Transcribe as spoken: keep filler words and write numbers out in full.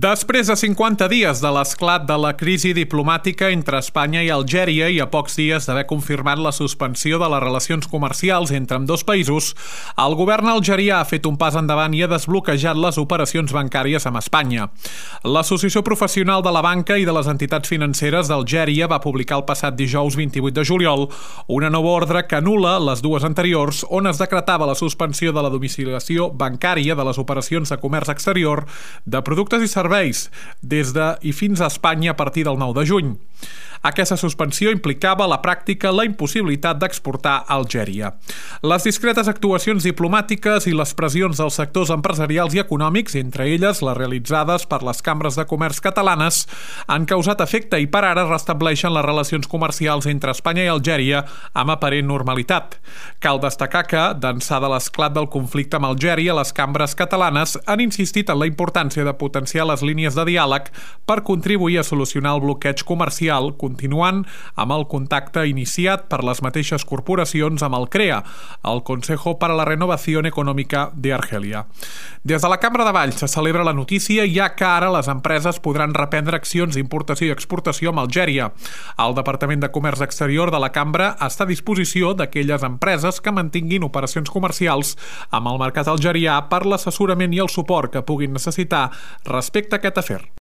Després de cinquanta dies de l'esclat de la crisi diplomàtica entre Espanya i Algèria i a pocs dies d'haver confirmat la suspensió de les relacions comercials entre ambdós països, el govern algerià ha fet un pas endavant i ha desbloquejat les operacions bancàries amb Espanya. L'Associació Professional de la Banca i de les Entitats Financeres d'Algèria va publicar el passat dijous vint-i-vuit de juliol una nova ordre que anul·la les dues anteriors, on es decretava la suspensió de la domiciliació bancària de les operacions de comerç exterior de productes i serveis des de i fins a Espanya a partir del nou de juny. Aquesta suspensió implicava a la pràctica la impossibilitat d'exportar a Algèria. Les discretes actuacions diplomàtiques i les pressions dels sectors empresarials i econòmics, entre elles les realitzades per les cambres de comerç catalanes, han causat efecte i per ara restableixen les relacions comercials entre Espanya i Algèria amb aparent normalitat. Cal destacar que, d'ençà de l'esclat del conflicte amb Algèria, les cambres catalanes han insistit en la importància de potenciar les línies de diàleg per contribuir a solucionar el bloqueig comercial, continuant amb el contacte iniciat per les mateixes corporacions amb el CREA, el Consejo para la Renovación Económica de Argelia. Des de la Cambra de Valls se celebra la notícia, ja que ara les empreses podran reprendre accions d'importació i exportació amb Algèria. El Departament de Comerç Exterior de la Cambra està a disposició d'aquelles empreses que mantinguin operacions comercials amb el mercat algerià per l'assessorament i el suport que puguin necessitar respecte a aquest afer.